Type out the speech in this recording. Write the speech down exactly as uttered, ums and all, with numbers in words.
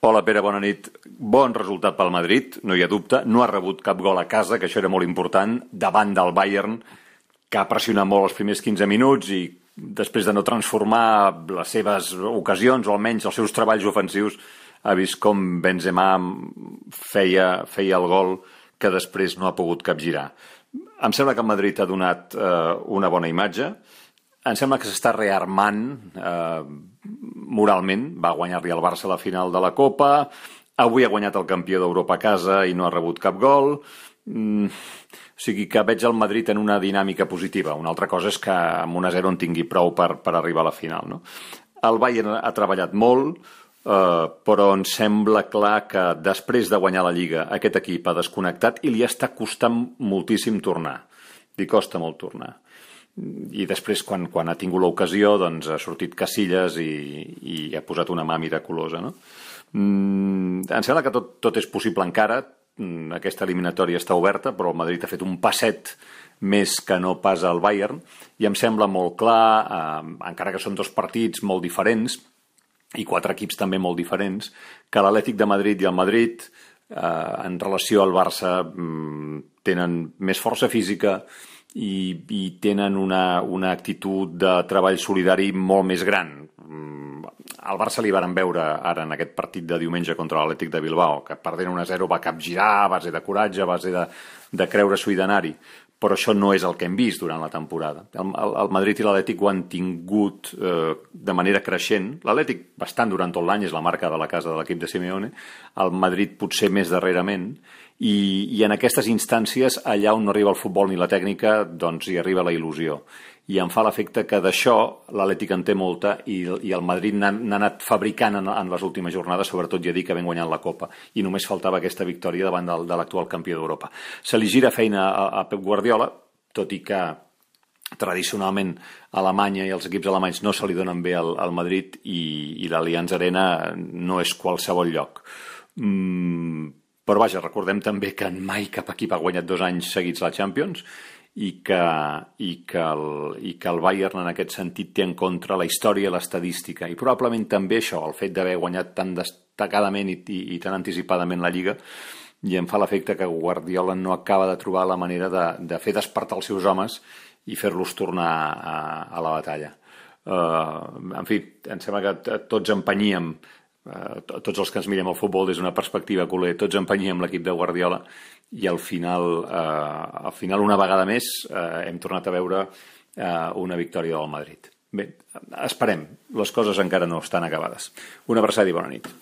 Hola Pere, bona nit. Bon resultat pel Madrid, no hi ha dubte. No ha rebut cap gol a casa, que això era molt important, davant del Bayern, que ha pressionat molt els primers quinze minuts i després de no transformar les seves ocasions, o almenys els seus treballs ofensius, ha vist com Benzema feia, feia el gol que després no ha pogut capgirar. Em sembla que el Madrid ha donat eh, una bona imatge. Em sembla que s'està rearmant eh, moralment. Va guanyar-li al Barça a la final de la Copa. Avui ha guanyat el campió d'Europa a casa i no ha rebut cap gol. Mm, o sigui que veig el Madrid en una dinàmica positiva. Una altra cosa és que amb un a zero en tingui prou per, per arribar a la final, no? El Bayern ha treballat molt, eh, però em sembla clar que després de guanyar la Lliga aquest equip ha desconnectat i li està costant moltíssim tornar. Li costa molt tornar. I després, quan, quan ha tingut l'ocasió, doncs ha sortit Casillas i, i ha posat una mà miraculosa, no? Mm, em sembla que tot, tot és possible encara. Mm, aquesta eliminatòria està oberta, però el Madrid ha fet un passet més que no pas al Bayern, i em sembla molt clar, eh, encara que són dos partits molt diferents, i quatre equips també molt diferents, que l'Atlètic de Madrid i el Madrid, eh, en relació al Barça, mm, tenen més força física, i, i tenen una, una actitud de treball solidari molt més gran. Al Barça li varen veure ara en aquest partit de diumenge contra l'Atlètic de Bilbao, que perdent un a zero va capgirar a base de coratge, a base de, de creure-s'ho i d'anar-hi, però això no és el que hem vist durant la temporada. El, el, el Madrid i l'Atlètic ho han tingut eh, de manera creixent. L'Atlètic bastant durant tot l'any, és la marca de la casa de l'equip de Simeone, el Madrid potser més darrerament, i, i en aquestes instàncies, allà on no arriba el futbol ni la tècnica, doncs hi arriba la il·lusió. I em fa l'efecte que d'això l'Atlètic en té molta i, i el Madrid n'ha anat fabricant en, en les últimes jornades, sobretot ja dic que ben guanyant la Copa, i només faltava aquesta victòria davant del, de l'actual campió d'Europa. Se li gira feina a, a Pep Guardiola, tot i que tradicionalment Alemanya i els equips alemanys no se li donen bé al, al Madrid, i, i l'Allianz Arena no és qualsevol lloc. Mm, però vaja, recordem també que mai cap equip ha guanyat dos anys seguits la Champions, i que, i, que el, i que el Bayern en aquest sentit té en contra la història i l'estadística, i probablement també això, el fet d'haver guanyat tan destacadament i, i, i tan anticipadament la Lliga, i em fa l'efecte que Guardiola no acaba de trobar la manera de, de fer despertar els seus homes i fer-los tornar a, a la batalla. Uh, en fi, em sembla que tots empenyíem, uh, tots els que ens mirem el futbol des d'una perspectiva culer, tots empenyíem l'equip de Guardiola, i al final, eh, al final una vegada més eh, hem tornat a veure eh, una victòria del Madrid. Bé, esperem, les coses encara no estan acabades. Una abraçada i bona nit.